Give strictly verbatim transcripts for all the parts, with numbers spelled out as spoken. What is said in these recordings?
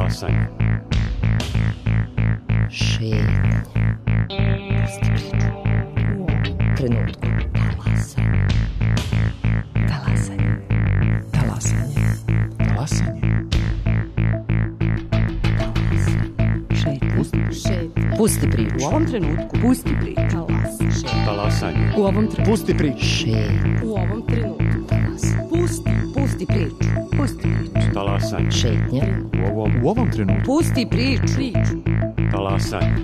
Talasanje. Šetnje. Pusti priču. U trenutku. Talasanje. Talasanje. Talasanje. Talasanje. Šetnje. Pusti priču. U ovom trenutku. Pusti priču. Talasanje. U ovom trenutku. Pusti priču. Šetnje. U ovom trenutku. Talasanje. Pusti. Pusti priču. Pusti priču. Talasanje. Šetnje. U ovom, U ovom trenutku. Pusti priču. Priču. talasanje.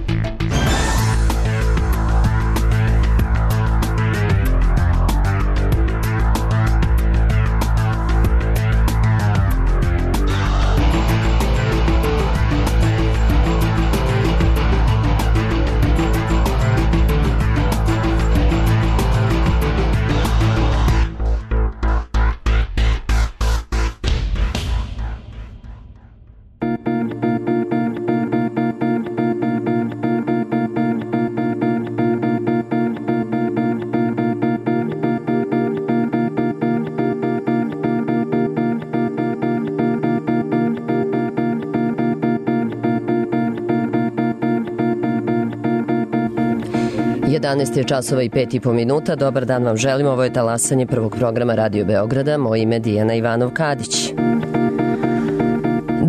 jedanaest je časova i pet i po minuta. Dobar dan vam želim. Ovo je talasanje prvog programa Radio Beograda. Moje ime je Dijana Ivanov-Kadić.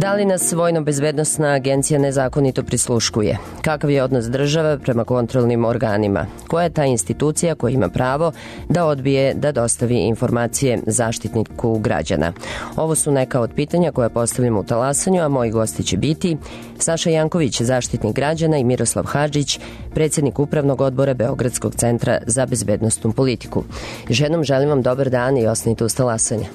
Da li nas Vojno-bezbednosna agencija nezakonito prisluškuje? Kakav je odnos države prema kontrolnim organima? Koja je ta institucija koja ima pravo da odbije da dostavi informacije zaštitniku građana? Ovo su neka od pitanja koja postavljamo u talasanju, a moji gosti će biti Saša Janković, zaštitnik građana, i Miroslav Hadžić, predsjednik Upravnog odbora Beogradskog centra za bezbednostnu politiku. Ženom želim vam dobar dan i ostanite uz talasanje.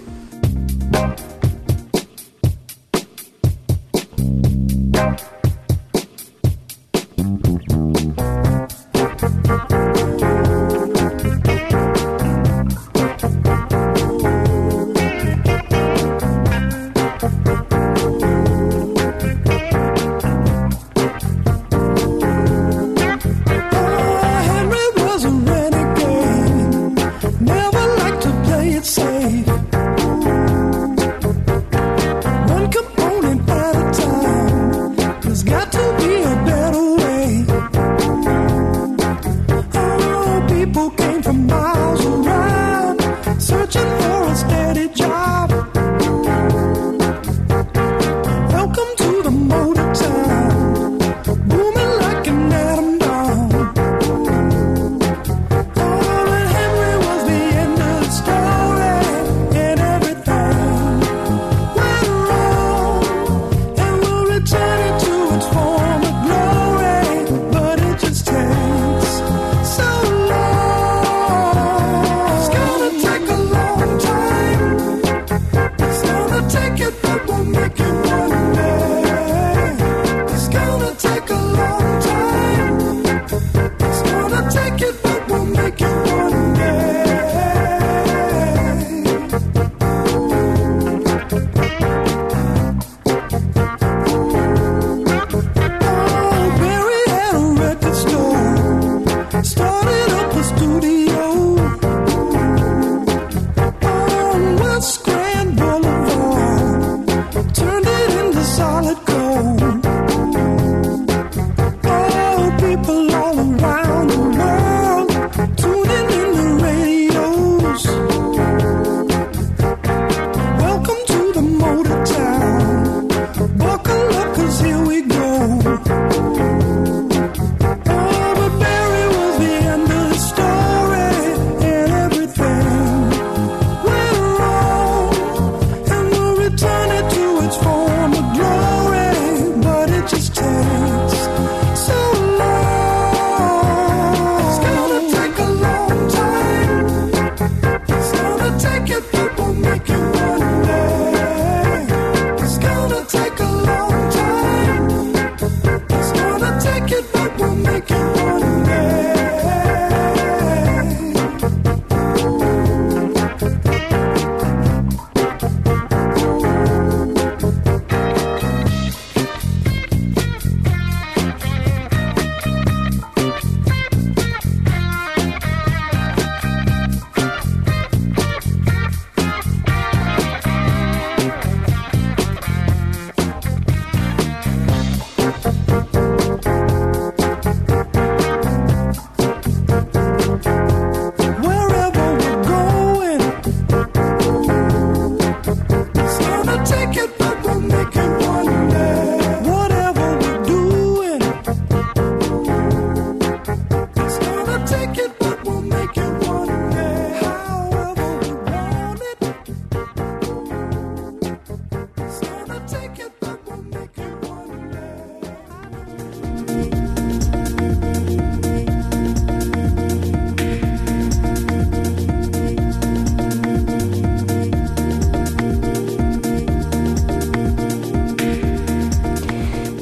Story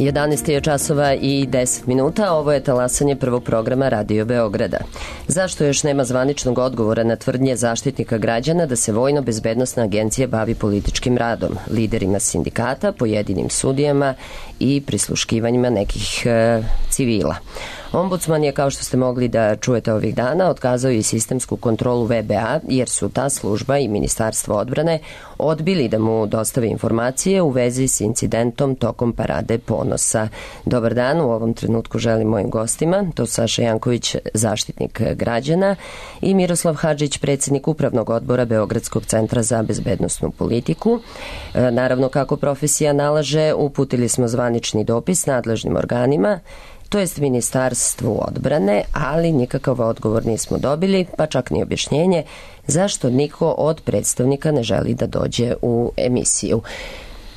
jedanaest je časova i deset minuta, ovo je talasanje prvog programa Radio Beograda. Zašto još nema zvaničnog odgovora na tvrdnje Zaštitnika građana da se Vojno-bezbednosna agencija bavi političkim radom, liderima sindikata, pojedinim sudijama i prisluškivanjima nekih e, civila? Ombudsman je, kao što ste mogli da čujete ovih dana, otkazao i sistemsku kontrolu V B A jer su ta služba i Ministarstvo odbrane odbili da mu dostave informacije u vezi s incidentom tokom Parade ponosa. Dobar dan, u ovom trenutku želim mojim gostima, to su Saša Janković, Zaštitnik građana, i Miroslav Hadžić, predsjednik Upravnog odbora Beogradskog centra za bezbednosnu politiku. E, naravno, kako profesija nalaže, uputili smo zvanični dopis nadležnim organima, to jest Ministarstvu odbrane, ali nikakav odgovor nismo dobili, pa čak ni objašnjenje zašto niko od predstavnika ne želi da dođe u emisiju.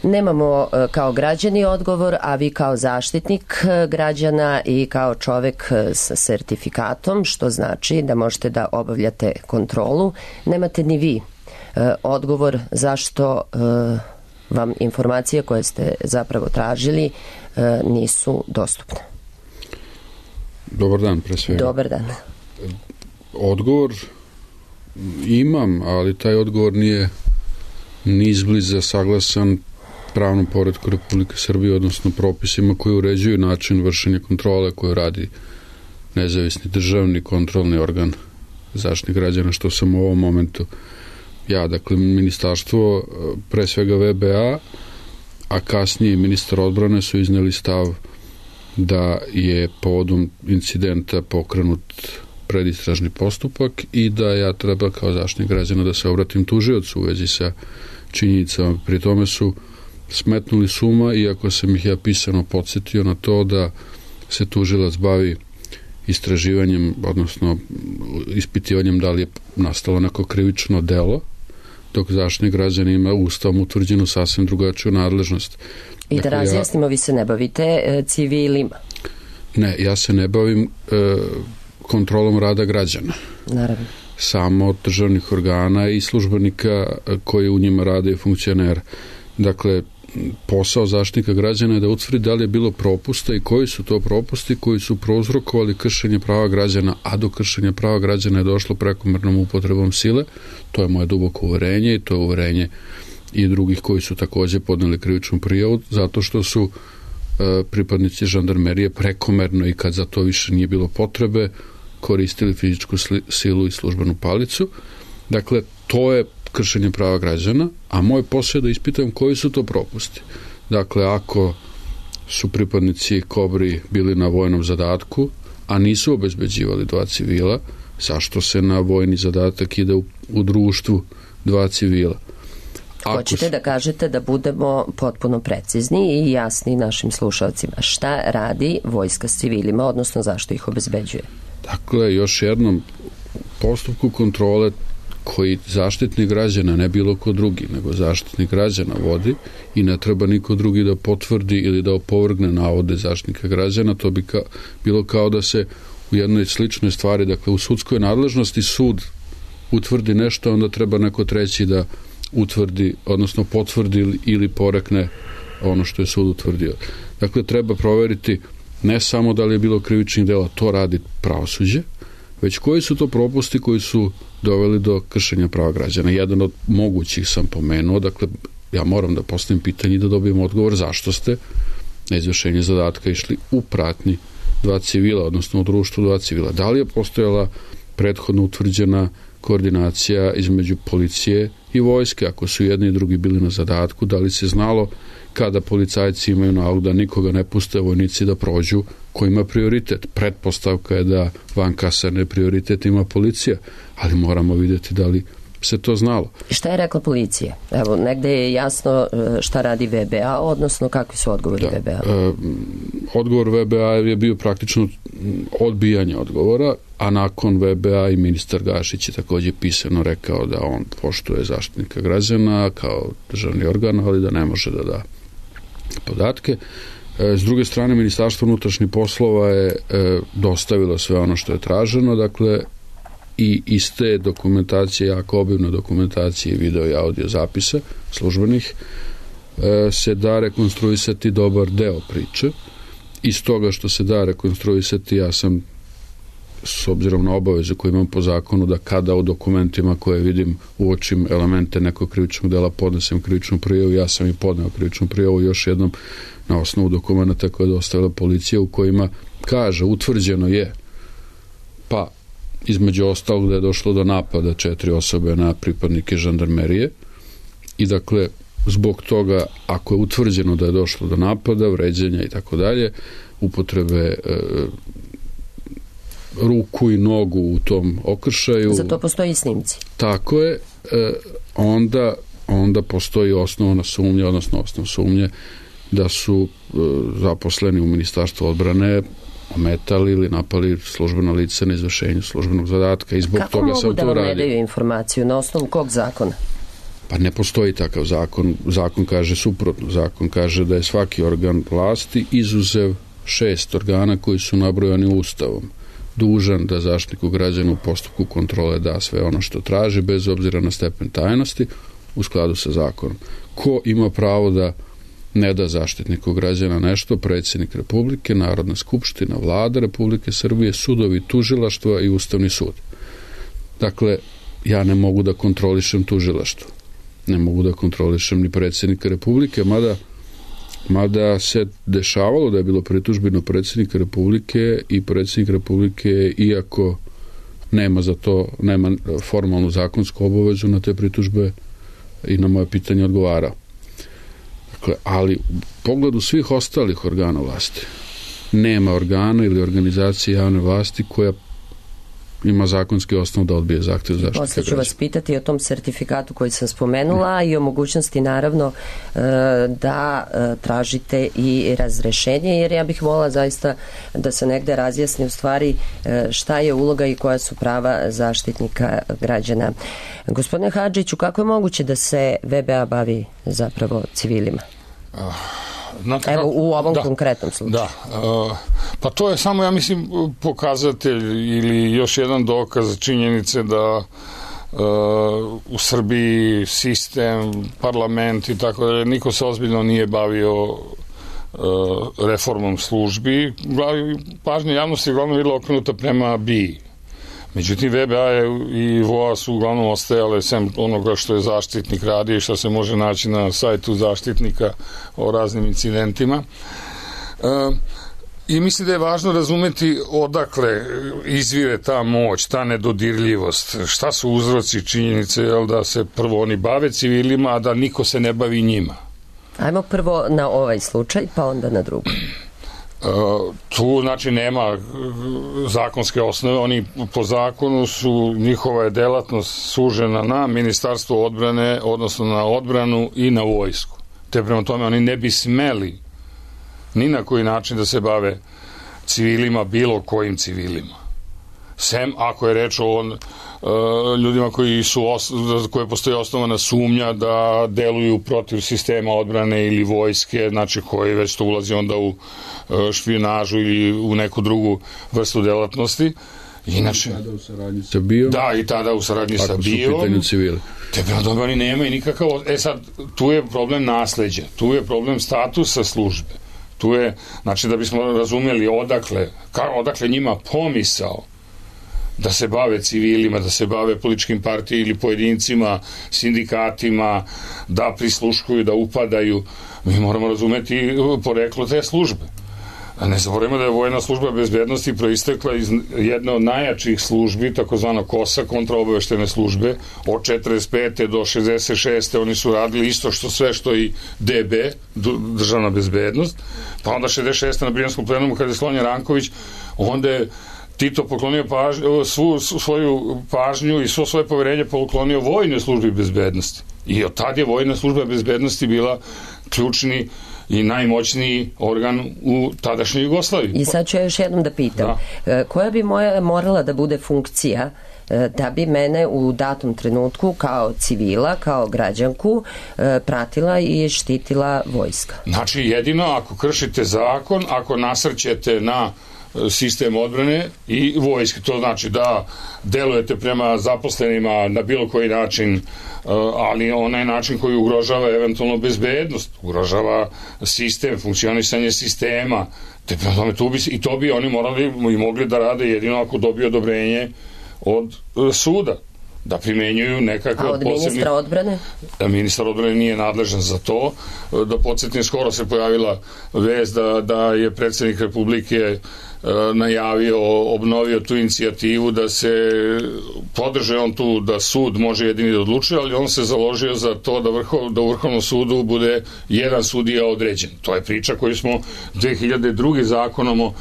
Nemamo kao građani odgovor, a vi kao zaštitnik građana i kao čovek sa sertifikatom, što znači da možete da obavljate kontrolu, nemate ni vi odgovor zašto vam informacije koje ste zapravo tražili nisu dostupne. Dobar dan, pre svega. Dobar dan. Odgovor imam, ali taj odgovor nije ni izbliza saglasan pravnom poretku Republike Srbije, odnosno propisima koji uređuju način vršenja kontrole koju radi nezavisni državni kontrolni organ Zaštitnik građana, što sam u ovom momentu ja. Dakle, ministarstvo, pre svega V B A, a kasnije ministar odbrane su izneli stav da je povodom incidenta pokrenut predistražni postupak i da ja treba kao Zaštitnik građana da se obratim tužiocu u vezi sa činjenicama. Pri tome su smetnuli suma, iako sam ih ja pisano podsjetio na to da se tužilac bavi istraživanjem, odnosno ispitivanjem da li je nastalo neko krivično delo, dok Zaštitnik građana ima ustavom utvrđenu sasvim drugačiju nadležnost. I da dakle, razjasnimo, ja, vi se ne bavite e, civilima? Ne, ja se ne bavim e, kontrolom rada građana. Naravno. Samo od državnih organa i službenika koji u njima rade i funkcionera. Dakle, posao Zaštitnika građana je da utvrdi da li je bilo propusta i koji su to propusti koji su prouzrokovali kršenje prava građana, a do kršenja prava građana je došlo prekomernom upotrebom sile. To je moje duboko uverenje i to je uverenje i drugih koji su takođe podneli krivičnu prijavu, zato što su e, pripadnici žandarmerije prekomerno i kad za to više nije bilo potrebe koristili fizičku silu i službenu palicu. Dakle, to je kršenje prava građana, a moj posao je da ispitam koji su to propusti. Dakle, ako su pripadnici Kobri bili na vojnom zadatku, a nisu obezbeđivali dva civila, zašto se na vojni zadatak ide u, u društvu dva civila? Hoćete su... da kažete da budemo potpuno precizni i jasni našim slušalcima. Šta radi vojska s civilima, odnosno zašto ih obezbeđuje? Dakle, još jednom, postupku kontrole koji Zaštitnik građana, ne bilo ko drugi, nego Zaštitnik građana vodi i ne treba niko drugi da potvrdi ili da opovrgne navode Zaštitnika građana, to bi ka, bilo kao da se u jednoj sličnoj stvari, dakle u sudskoj nadležnosti sud utvrdi nešto, onda treba neko treći da utvrdi, odnosno potvrdi ili porekne ono što je sud utvrdio. Dakle, treba proveriti ne samo da li je bilo krivičnih dela, to radi pravosuđe, već koji su to propusti koji su doveli do kršenja prava građana. Jedan od mogućih sam pomenuo, dakle, ja moram da postavim pitanje i da dobijem odgovor zašto ste na izvršenje zadatka išli u pratnji dva civila, odnosno u društvu dva civila. Da li je postojala prethodno utvrđena koordinacija između policije i vojske, ako su jedni i drugi bili na zadatku, da li se znalo kada policajci imaju nalog da nikoga ne puste vojnici da prođu, ko ima prioritet. Pretpostavka je da van kasarne prioritet ima policija, ali moramo vidjeti da li se to znalo. Šta je rekla policija? Evo, negde je jasno šta radi V B A, odnosno kakvi su odgovori da, V B A? E, odgovor V B A je bio praktično odbijanje odgovora, a nakon V B A i ministar Gašić je takođe pisano rekao da on poštuje Zaštitnika građana kao državni organ, ali da ne može da da podatke. E, s druge strane, Ministarstvo unutrašnjih poslova je e, dostavilo sve ono što je traženo, dakle, i iz te dokumentacije, jako obimne dokumentacije, video i audio zapisa službenih, se da rekonstruisati dobar deo priče. Iz toga što se da rekonstruisati, ja sam, s obzirom na obavezu koju imam po zakonu, da kada u dokumentima koje vidim uočim elemente nekog krivičnog dela podnesem krivičnu prijavu, ja sam i podneo krivičnu prijavu još jednom na osnovu dokumenta koje je dostavila policija, u kojima kaže, utvrđeno je, pa između ostalog da je došlo do napada četiri osobe na pripadnike žandarmerije i dakle zbog toga, ako je utvrđeno da je došlo do napada, vređenja i tako dalje, upotrebe e, ruku i nogu u tom okršaju. Za to postoji snimci. Tako je, e, onda, onda postoji osnovna sumnja, odnosno osnov sumnje da su e, zaposleni u Ministarstvu odbrane ometali ili napali službeno lice na izvršenju službenog zadatka i zbog Kako toga sam to radio. Kako mogu da vam ne daju informaciju? Na osnovu kog zakona? Pa ne postoji takav zakon. Zakon kaže suprotno. Zakon kaže da je svaki organ vlasti, izuzev šest organa koji su nabrojani Ustavom, dužan da Zaštitniku građana u postupku kontrole da sve ono što traži, bez obzira na stepen tajnosti, u skladu sa zakonom. Ko ima pravo da ne da Zaštitniku građana nešto? Predsjednik Republike, Narodna skupština, Vlada Republike Srbije, sudovi, tužilaštva i Ustavni sud. Dakle, ja ne mogu da kontrolišem tužilaštvo. Ne mogu da kontrolišem ni predsjednika Republike, mada, mada se dešavalo da je bilo pritužbi na predsjednika Republike i predsjednik Republike, iako nema za to, nema formalnu zakonsku obavezu, na te pritužbe i na moje pitanje odgovarao. Dakle, ali u pogledu svih ostalih organa vlasti nema organa ili organizacije javne vlasti koja ima zakonski osnov da odbije zahtjev zaštite građana. Posle ću vas pitati o tom sertifikatu koji sam spomenula i o mogućnosti naravno da tražite i razrešenje, jer ja bih volila zaista da se negde razjasni u stvari šta je uloga i koja su prava Zaštitnika građana. Gospodine Hadžiću, kako je moguće da se V B A bavi zapravo civilima? Znate, Evo, u ovom da, konkretnom slučaju. Da, uh, pa to je samo, ja mislim, pokazatelj ili još jedan dokaz činjenice da uh, u Srbiji sistem, parlament i tako da niko se ozbiljno nije bavio uh, reformom službi. Pažnja javnosti je uglavnom bila okrenuta prema B I A. Međutim, V B A i V O A su uglavnom ostajale sem onoga što je Zaštitnik radio i što se može naći na sajtu Zaštitnika o raznim incidentima. E, I mislim da je važno razumeti odakle izvire ta moć, ta nedodirljivost, šta su uzroci činjenice, jel, da se prvo oni bave civilima, a da niko se ne bavi njima. Ajmo prvo na ovaj slučaj, pa onda na drugu. Uh, tu znači nema zakonske osnove, oni po zakonu su, njihova je delatnost sužena na Ministarstvo odbrane, odnosno na odbranu i na vojsku. Te prema tome oni ne bi smeli ni na koji način da se bave civilima, bilo kojim civilima. Sem ako je reč o on, uh, ljudima koji su os, koje postoji osnovana sumnja da deluju protiv sistema odbrane ili vojske, znači koji već to ulazi onda u uh, špionažu ili u neku drugu vrstu delatnosti. Inače, tada u saradnji sa B I O. Da, i tada u saradnji sa B I O. Ako su u pitanju civili. Te prema tome oni nemaju nikakav... E sad, tu je problem nasleđa, tu je problem statusa službe. Tu je, znači da bismo razumjeli odakle, ka, odakle njima pomisao da se bave civilima, da se bave političkim partijima ili pojedincima, sindikatima, da prisluškuju, da upadaju. Mi moramo razumeti poreklo te službe. A ne zaboravimo da je vojna služba bezbednosti proistekla iz jedne od najjačih službi, takozvano KOS-a, kontraobaveštene službe, od četrdeset pete do šezdeset šeste oni su radili isto što sve što i D B, državna bezbednost, pa onda šezdeset šeste na Brijanskom plenumu kada je Slonja Ranković, onda je Tito poklonio pažnju, svu svoju pažnju i svo svoje poverenje poklonio vojnoj službi bezbednosti. I od tad je vojna služba bezbednosti bila ključni i najmoćniji organ u tadašnjoj Jugoslaviji. I sad ću ja još jednom da pitam, da. koja bi moja morala da bude funkcija da bi mene u datom trenutku kao civila, kao građanku pratila i štitila vojska? Znači jedino ako kršite zakon, ako nasrćete na sistem odbrane i vojske. To znači da delujete prema zaposlenima na bilo koji način, ali onaj način koji ugrožava eventualno bezbednost, ugrožava sistem, funkcionisanje sistema, te tome, tu bi, i to bi oni morali i mogli da rade jedino ako dobiju odobrenje od suda, da primenjuju nekakve A od posebni... ministra odbrane? Ministar odbrane nije nadležan za to. Da podsjetim, skoro se pojavila vest da, da je predsjednik Republike najavio, obnovio tu inicijativu da se podrže on tu da sud može jedini da odlučuje, ali on se založio za to da, vrhov, da u Vrhovnom sudu bude jedan sudija određen. To je priča koju smo dve hiljade druge zakonom o,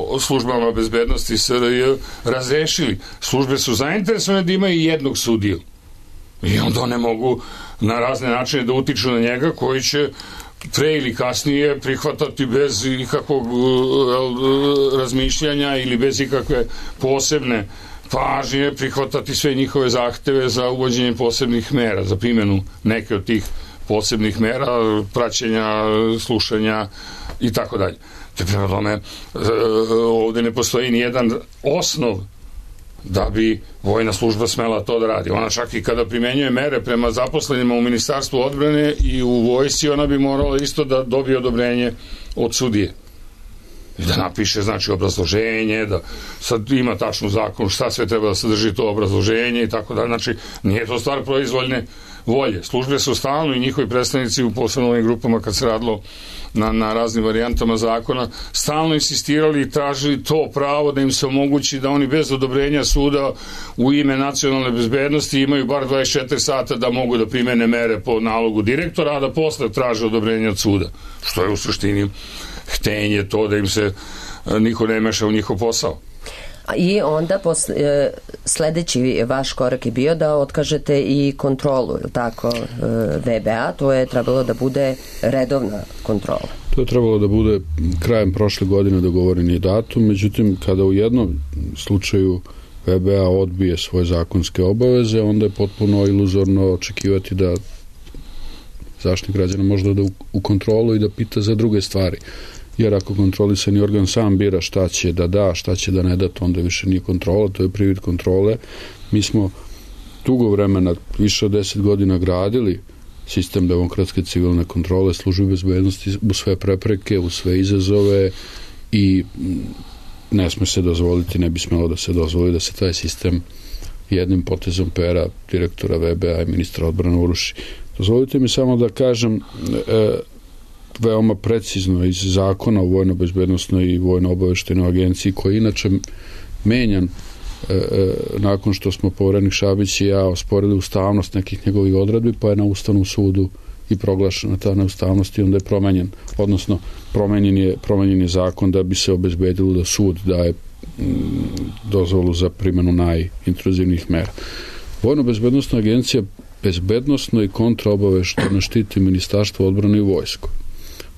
o službama bezbednosti S R J razrešili. Službe su zainteresovane da imaju jednog sudiju. I onda one mogu na razne načine da utiču na njega, koji će pre ili kasnije prihvatati bez ikakvog razmišljanja ili bez ikakve posebne pažnje, prihvatati sve njihove zahteve za uvođenje posebnih mera, za primjenu neke od tih posebnih mera, praćenja, slušanja i tako dalje. Te prema tome, ovdje ne postoji ni jedan osnov da bi vojna služba smela to da radi. Ona čak i kada primenjuje mere prema zaposlenima u Ministarstvu odbrane i u vojsci, ona bi morala isto da dobije odobrenje od sudije. I da napiše, znači, obrazloženje, da sad ima tačnu zakon šta sve treba da sadrži to obrazloženje i tako da. Znači, nije to stvar proizvoljne volje. Službe su stalno i njihovi predstavnici u posebno ovim grupama, kad se radilo na, na raznim varijantama zakona, stalno insistirali i tražili to pravo da im se omogući da oni bez odobrenja suda u ime nacionalne bezbednosti imaju bar dvadeset četiri sata da mogu da primene mere po nalogu direktora, a da posle traže odobrenje od suda. Što je u suštini htenje to da im se niko ne meša u njihov posao. I onda posle, sledeći vaš korak je bio da otkažete i kontrolu, ili tako, V B A, to je trebalo da bude redovna kontrola. To je trebalo da bude krajem prošle godine dogovoreni datum, međutim kada u jednom slučaju V B A odbije svoje zakonske obaveze, onda je potpuno iluzorno očekivati da Zaštitnik građana može da u kontrolu i da pita za druge stvari. Jer ako kontrolisani organ sam bira šta će da da, šta će da ne da, to onda više nije kontrola, to je privid kontrole. Mi smo dugo vremena, više od deset godina gradili sistem demokratske civilne kontrole, službe bezbednosti u sve prepreke, u sve izazove i ne sme se dozvoliti, ne bi smelo da se dozvoli da se taj sistem jednim potezom pera direktora V B A i ministra odbrane uruši. Dozvolite mi samo da kažem e, veoma precizno iz zakona o vojno-bezbednosnoj i vojno-obaveštajnoj agenciji, koji je inače menjan e, e, nakon što smo poverenik Šabić i ja osporili ustavnost nekih njegovih odredbi, pa je na Ustavnom sudu i proglašena ta neustavnost i onda je promenjen, odnosno promenjen je, promenjen je zakon da bi se obezbedilo da sud daje m, dozvolu za primjenu najintruzivnijih mera. Vojno-bezbednosna agencija bezbednosno i kontraobaveštajno štiti Ministarstvo odbrane i vojsku,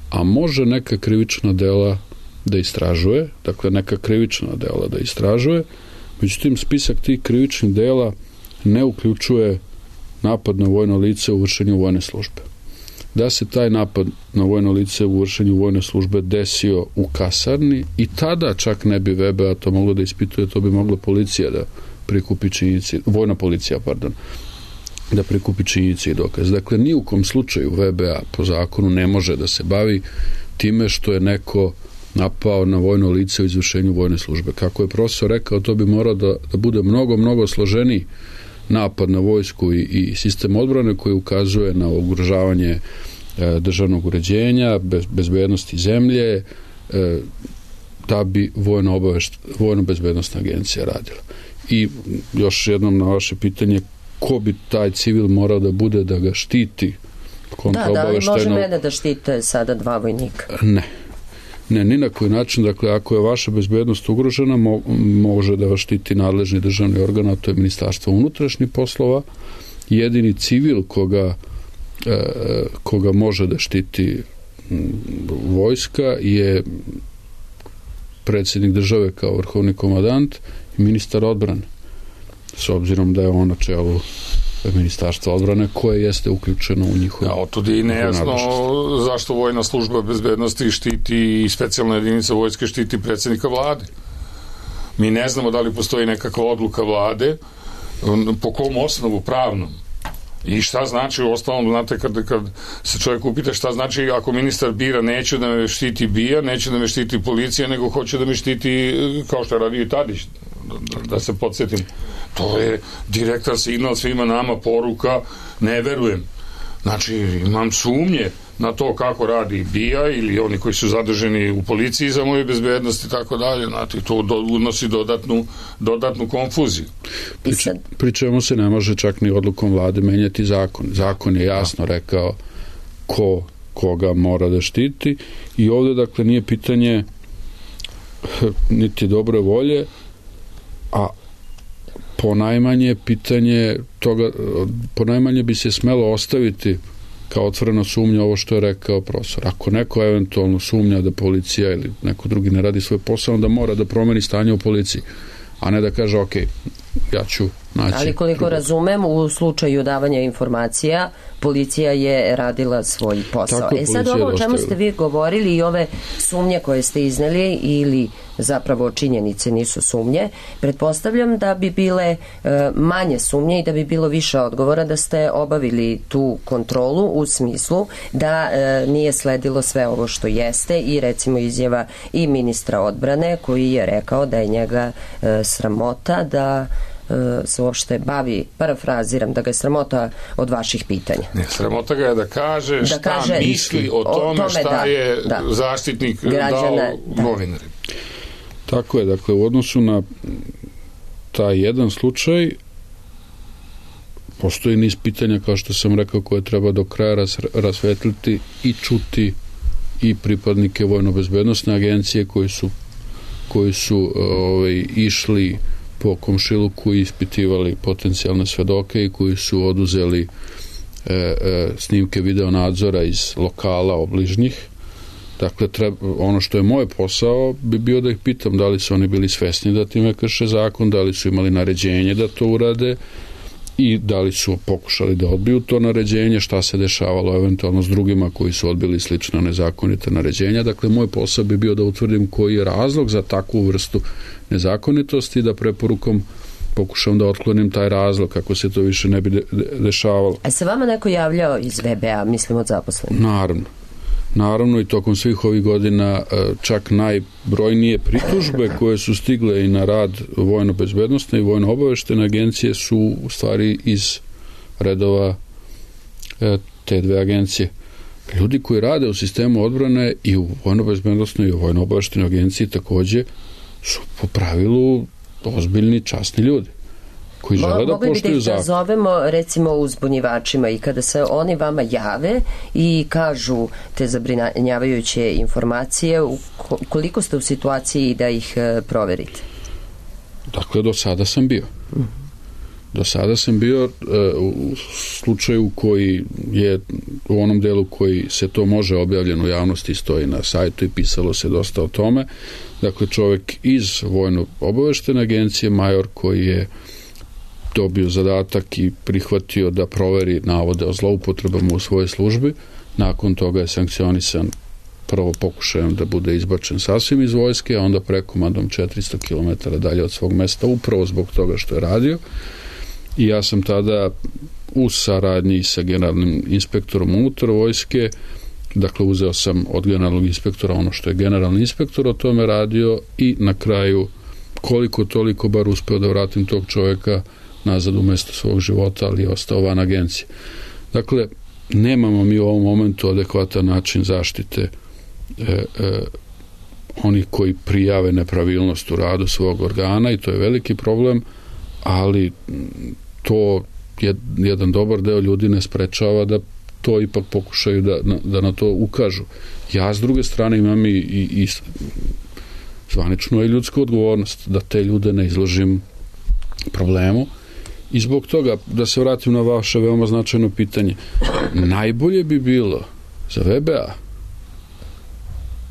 a može neka krivična dela da istražuje, dakle neka krivična dela da istražuje, međutim spisak tih krivičnih dela ne uključuje napad na vojno lice u vršenju vojne službe. Da se taj napad na vojno lice u vršenju vojne službe desio u kasarni, i tada čak ne bi V B A to moglo da ispituje, to bi mogla policija da prikupi činjenice, vojna policija, pardon, da prikupi činjenice i dokaz. Dakle, ni u kom slučaju V B A po zakonu ne može da se bavi time što je neko napao na vojno lice u izvršenju vojne službe. Kako je profesor rekao, to bi morao da, da bude mnogo, mnogo složeniji napad na vojsku i, i sistem odbrane koji ukazuje na ugrožavanje e, državnog uređenja, bez, bezbednosti zemlje, e, da bi vojno, obavešt, vojno bezbednostna agencija radila. I još jednom na vaše pitanje, ko bi taj civil morao da bude da ga štiti? Da, da li može mene da štite sada dva vojnika? Ne. Ne, ni na koji način. Dakle, ako je vaša bezbednost ugrožena, mo može da vas štiti nadležni državni organ, a to je Ministarstvo unutrašnjih poslova. Jedini civil koga, e, koga može da štiti vojska je predsjednik države kao vrhovni komandant i ministar odbrane, s obzirom da je on na čelu Ministarstva odbrane koje jeste uključeno u njihovu. Ja, otud je i nejasno zašto vojna služba bezbednosti štiti i specijalna jedinica vojske štiti predsjednika vlade. Mi ne znamo da li postoji nekakva odluka vlade, po kom osnovu pravnom. I šta znači, u ostalom, znate, kad, kad se čovjek upita šta znači ako ministar bira neću da me štiti BIA, neću da me štiti policija, nego hoće da me štiti, kao što je radio i Tadić, da, da se podsjetim. To je direktan signal svima nama, poruka, ne verujem. Znači, imam sumnje na to kako radi BIA ili oni koji su zadrženi u policiji za moju bezbednost i tako dalje. Znači, to do, unosi dodatnu, dodatnu konfuziju. Prič, pri čemu se ne može čak ni odlukom vlade menjati zakon. Zakon je jasno rekao ko koga mora da štiti i ovdje, dakle, nije pitanje niti dobre volje, a ponajmanje pitanje toga, ponajmanje bi se smelo ostaviti kao otvorena sumnja ovo što je rekao profesor. Ako neko eventualno sumnja da policija ili neko drugi ne radi svoj posao, onda mora da promeni stanje u policiji, a ne da kaže ok, ja ću naći. Ali koliko drugo. Razumem, u slučaju davanja informacija policija je radila svoj posao. Tako, e sad ovo o čemu ste vi govorili i ove sumnje koje ste izneli ili zapravo činjenice nisu sumnje, pretpostavljam da bi bile e, manje sumnje i da bi bilo više odgovora da ste obavili tu kontrolu u smislu da e, nije sledilo sve ovo što jeste i recimo izjava i ministra odbrane koji je rekao da je njega e, sramota da se uopšte bavi, parafraziram, da ga je sramota od vaših pitanja. Ne, sramota ga je da kaže šta da kaže, misli o tome, o tome šta da, je da. zaštitnik građana, dao novinarima. Tako je, dakle, u odnosu na taj jedan slučaj postoji niz pitanja, kao što sam rekao, koje treba do kraja ras, rasvetliti i čuti i pripadnike Vojno-bezbednosne agencije koji su koji su ovaj, išli po komšiluku i ispitivali potencijalne svedoke i koji su oduzeli e, e, snimke video nadzora iz lokala obližnjih. Dakle, treba, ono što je moj posao bi bio da ih pitam da li su oni bili svesni da time krše zakon, da li su imali naređenje da to urade i da li su pokušali da odbiju to naređenje, šta se dešavalo eventualno s drugima koji su odbili slično nezakonite naređenja. Dakle, moj posao bi bio da utvrdim koji je razlog za takvu vrstu nezakonitosti i da preporukom pokušam da otklonim taj razlog kako se to više ne bi de- de- dešavalo. A se vama neko javljao iz V B A, mislim od zaposlenih? Naravno. Naravno i tokom svih ovih godina čak najbrojnije pritužbe koje su stigle i na rad vojno-bezbednosne i vojno-obaveštene agencije su u stvari iz redova te dve agencije. Ljudi koji rade u sistemu odbrane i u vojno-bezbednosnoj i u vojno-obaveštenoj agenciji takođe su po pravilu ozbiljni, časni ljudi koji žele da poštuju zakon. Da zovemo recimo uzbunjivačima i kada se oni vama jave i kažu te zabrinjavajuće informacije, koliko ste u situaciji da ih proverite? Dakle, do sada sam bio. Do sada sam bio u slučaju koji je u onom delu koji se to može objavljeno u javnosti, stoji na sajtu i pisalo se dosta o tome. Dakle, čovjek iz vojno-obaveštene agencije, major koji je dobio zadatak i prihvatio da proveri navode o zloupotrebama u svojoj službi. Nakon toga je sankcionisan prvo pokušajem da bude izbačen sasvim iz vojske, a onda prekomandom četiristo kilometara dalje od svog mesta, upravo zbog toga što je radio. I ja sam tada u saradnji sa generalnim inspektorom unutar vojske, dakle uzeo sam od generalnog inspektora ono što je generalni inspektor o tome radio i na kraju koliko toliko bar uspeo da vratim tog čovjeka nazad u mesto svog života, ali je ostao van agencije. Dakle, nemamo mi u ovom momentu adekvatan način zaštite e, e, onih koji prijave nepravilnost u radu svog organa i to je veliki problem, ali to je, jedan dobar deo ljudi ne sprečava da to ipak pokušaju da, da na to ukažu. Ja s druge strane imam i, i, i zvaničnu i ljudsku odgovornost da te ljude ne izložim problemu. I zbog toga, da se vratim na vaše veoma značajno pitanje, najbolje bi bilo za V B A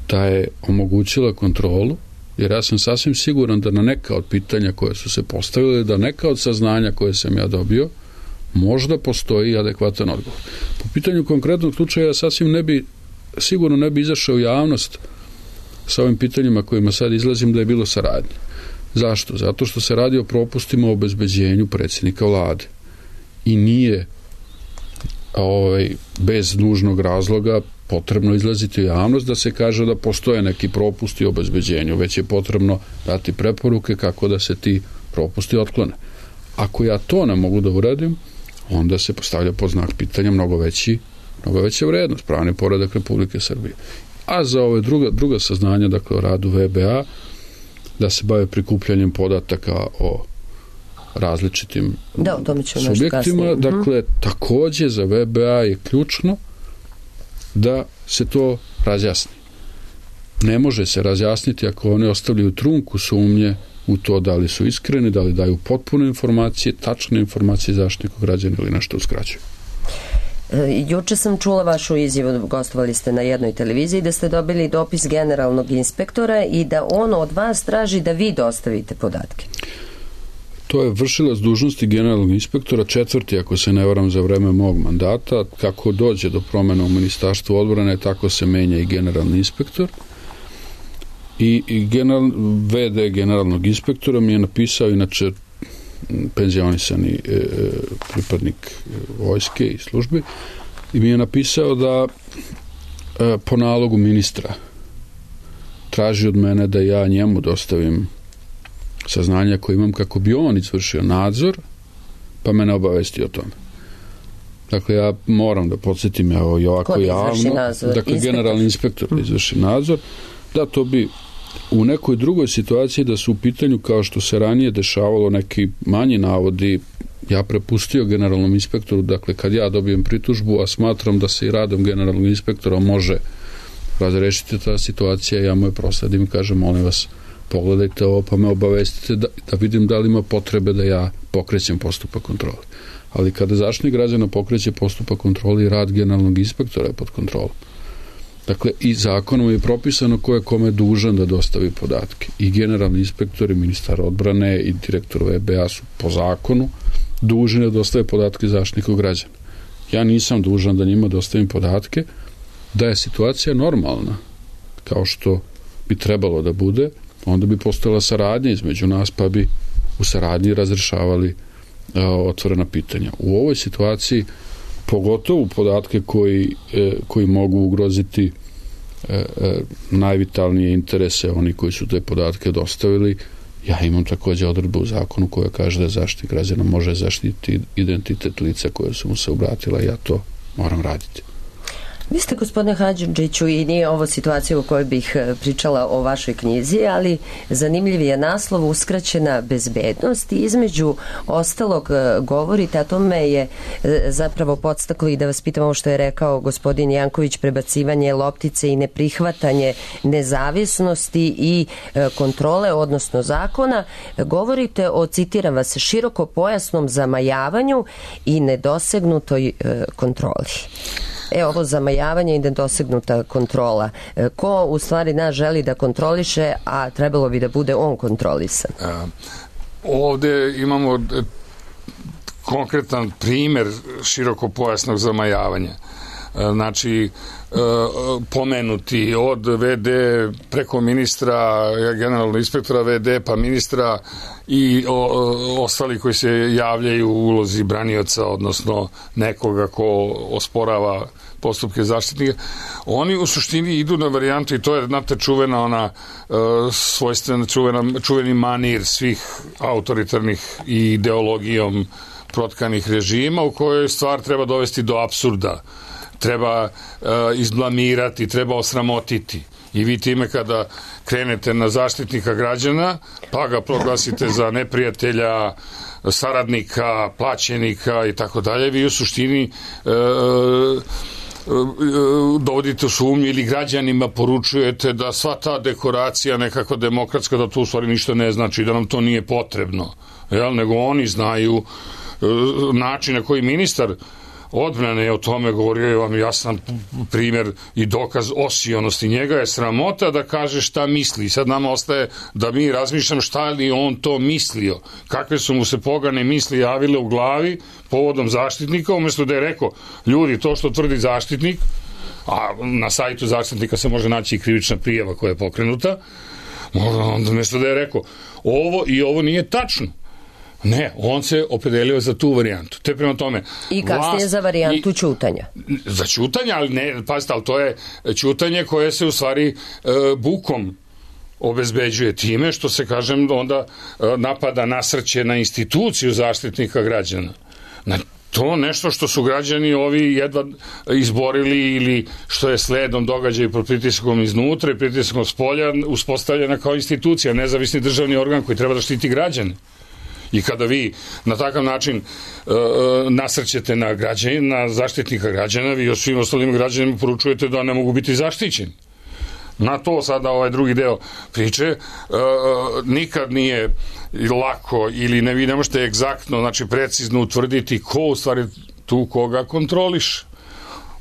da je omogućila kontrolu, jer ja sam sasvim siguran da na neka od pitanja koje su se postavile, da neka od saznanja koje sam ja dobio, možda postoji adekvatan odgovor. Po pitanju konkretnog slučaja sasvim ne bi, sigurno ne bi izašao u javnost sa ovim pitanjima kojima sad izlazim da je bilo saradnje. Zašto? Zato što se radi o propustima o obezbeđenju predsjednika vlade. I nije ovaj, bez nužnog razloga potrebno izlaziti u javnost da se kaže da postoje neki propusti u obezbeđenju, već je potrebno dati preporuke kako da se ti propusti otklone. Ako ja to ne mogu da uradim, onda se postavlja pod znak pitanja mnogo veći, mnogo veća vrednost, pravni poredak Republike Srbije. A za ove druga, druga saznanja, dakle o radu V B A, da se bave prikupljanjem podataka o različitim da, o tome ću subjektima, dakle, takođe za V B A je ključno da se to razjasni. Ne može se razjasniti ako oni ostavljaju trunku sumnje u to da li su iskreni, da li daju potpune informacije, tačne informacije Zaštitniku građana ili nešto uskraćuju. E, juče sam čula vašu izjavu, gostovali ste na jednoj televiziji, da ste dobili dopis generalnog inspektora i da on od vas traži da vi dostavite podatke. To je vršilac dužnosti generalnog inspektora, četvrti, ako se ne varam, za vreme mog mandata. Kako dođe do promjena u Ministarstvu odbrane, tako se menja i generalni inspektor. I, i general, V D generalnog inspektora mi je napisao, inače penzionisani e, pripadnik vojske i službe, i mi je napisao da e, po nalogu ministra traži od mene da ja njemu dostavim saznanja koje imam kako bi on izvršio nadzor, pa me ne obavesti o tome. Dakle, ja moram da podsjetim evo, i ovako javno, nadzor? Dakle, Inspektor. generalni inspektor da izvrši nadzor, da to bi u nekoj drugoj situaciji da su u pitanju, kao što se ranije dešavalo, neki manji navodi, ja prepustio generalnom inspektoru, dakle, kad ja dobijem pritužbu, a smatram da se i radom generalnog inspektora može razrešiti ta situacija, ja mu je prosladim i kažem, molim vas, pogledajte ovo, pa me obavestite da, da vidim da li ima potrebe da ja pokrećem postupak kontrole. Ali kada Zaštitnik građana pokreće postupak kontrole i rad generalnog inspektora je pod kontrolom. Dakle, i zakonom je propisano ko je kome dužan da dostavi podatke. I generalni inspektor, i ministar odbrane, i direktor V B A su po zakonu dužni da dostave podatke Zaštitniku građana. Ja nisam dužan da njima dostavim podatke, da je situacija normalna, kao što bi trebalo da bude, onda bi postojala saradnja između nas, pa bi u saradnji razrešavali a, otvorena pitanja. U ovoj situaciji, pogotovo podatke koji, e, koji mogu ugroziti e, e, najvitalnije interese oni koji su te podatke dostavili, ja imam takođe odredbu u zakonu koja kaže da Zaštitnik građana može zaštiti identitet lica koje su mu se obratila i ja to moram raditi. Vi ste, gospodine Hadžidžiću, i nije ovo situacija u kojoj bih pričala o vašoj knjizi, ali zanimljiv je naslov Uskraćena bezbednost i između ostalog govorite, a to me je zapravo podstaklo i da vas pitam ovo što je rekao gospodin Janković, prebacivanje loptice i neprihvatanje nezavisnosti i kontrole, odnosno zakona. Govorite o, citiram vas, širokopojasnom zamajavanju i nedosegnutoj kontroli. E, ovo zamajavanje i nedosegnuta kontrola. Ko u stvari nas želi da kontroliše, a trebalo bi da bude on kontrolisan? A, ovde imamo konkretan primer širokopojasnog zamajavanja. Znači, pomenuti od V D preko ministra, generalnog inspektora V D, pa ministra i o, ostali koji se javljaju u ulozi branioca, odnosno nekoga ko osporava postupke zaštitnika, oni u suštini idu na varijantu, i to je, znate, čuvena ona svojstvena, čuvena, čuveni manir svih autoritarnih i ideologijom protkanih režima, u kojoj stvar treba dovesti do apsurda, treba uh, izblamirati, treba osramotiti. I vi time kada krenete na Zaštitnika građana, pa ga proglasite za neprijatelja, saradnika, plaćenika i tako dalje, vi u suštini uh, uh, dovodite u sumnju ili građanima poručujete da sva ta dekoracija nekako demokratska, da to u stvari ništa ne znači, da nam to nije potrebno. Jel? Nego oni znaju uh, način na koji ministar odbrane je o tome govorio, je vam jasan primjer i dokaz osionosti. Njega je sramota da kaže šta misli. Sad nama ostaje da mi razmišljamo šta li on to mislio, kakve su mu se pogane misli javile u glavi povodom Zaštitnika, umjesto da je rekao, ljudi, to što tvrdi Zaštitnik, a na sajtu Zaštitnika se može naći i krivična prijava koja je pokrenuta, onda umjesto da je rekao, ovo i ovo nije tačno. Ne, on se opredelio za tu varijantu. Te prema tome... I kasnije vlast, za varijantu i, ćutanja. Za ćutanje, ali ne, pazite, ali to je ćutanje koje se u stvari e, bukom obezbeđuje time što se, kažem, onda e, napada, nasrće na instituciju Zaštitnika građana. Na to nešto što su građani ovi jedva izborili ili što je sledom događaja pod pritiskom iznutra i pritiskom spolja uspostavljena kao institucija, nezavisni državni organ koji treba da štiti građane. I kada vi na takav način uh, nasrćete na građane, na Zaštitnika građana, vi o svim ostalim građanima poručujete da ne mogu biti zaštićeni. Na to sada ovaj drugi deo priče uh, nikad nije lako ili ne, vi ne možete egzaktno, znači precizno utvrditi ko u stvari tu koga kontroliše.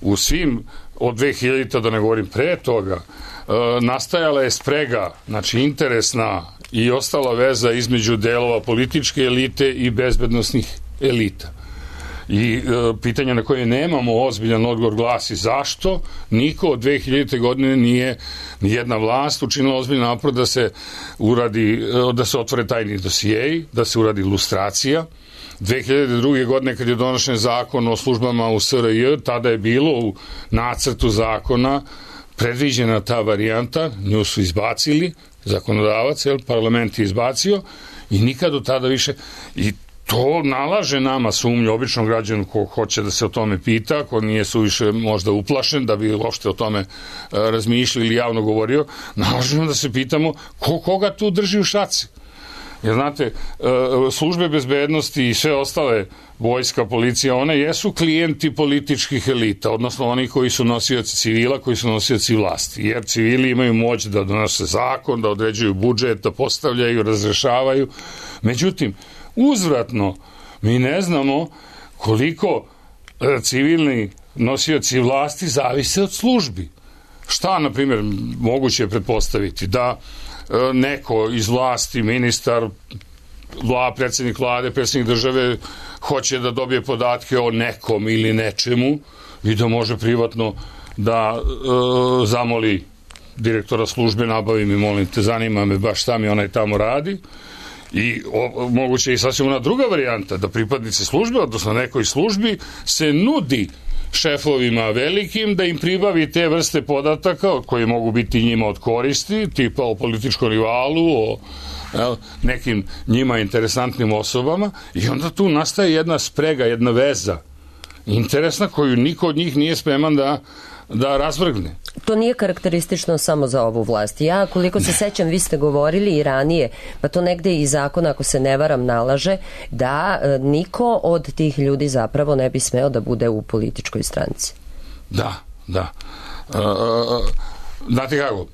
U svim od dve hiljadite da ne govorim pre toga uh, nastajala je sprega, znači interesna i ostala veza između delova političke elite i bezbednosnih elita. I e, pitanje na koje nemamo ozbiljan odgovor glasi zašto niko od dve hiljadite godine nije nijedna vlast učinila ozbiljan napor da se uradi, da se otvore tajni dosijeji, da se uradi lustracija. dve hiljade druge. godine kad je donošen zakon o službama u S R J, tada je bilo u nacrtu zakona predviđena ta varijanta, nju su izbacili, zakonodavac, jel, parlament je izbacio i nikad od tada više, i to nalaže nama sumnju, običnom građanu ko hoće da se o tome pita, ko nije suviše možda uplašen da bi uopšte o tome razmišljali ili javno govorio, nalažemo da se pitamo ko koga tu drži u šaci. Jer znate, službe bezbednosti i sve ostale, vojska, policija, one jesu klijenti političkih elita, odnosno oni koji su nosioci civila, koji su nosioci vlasti, jer civili imaju moć da donose zakon, da određuju budžet, da postavljaju, razrešavaju. Međutim, uzvratno, mi ne znamo koliko civilni nosioci vlasti zavise od službi. Šta, na primjer, moguće je pretpostaviti da neko iz vlasti, ministar, vla, predsjednik vlade, predsjednik države hoće da dobije podatke o nekom ili nečemu i da može privatno da e, zamoli direktora službe, nabavi mi, molim te, zanima me baš šta mi onaj tamo radi. I o, moguće i sasvim ona druga varijanta, da pripadnici službe, odnosno nekoj službi, se nudi šefovima velikim da im pribavi te vrste podataka koje mogu biti njima od koristi, tipa o političkom rivalu, o jel, nekim njima interesantnim osobama, i onda tu nastaje jedna sprega, jedna veza interesna koju niko od njih nije spreman da da razvrgne. To nije karakteristično samo za ovu vlast. Ja, koliko se sećam, vi ste govorili i ranije, pa to negde i zakon, ako se ne varam, nalaže da e, niko od tih ljudi zapravo ne bi smeo da bude u političkoj stranci. Da, da. E, znate kako,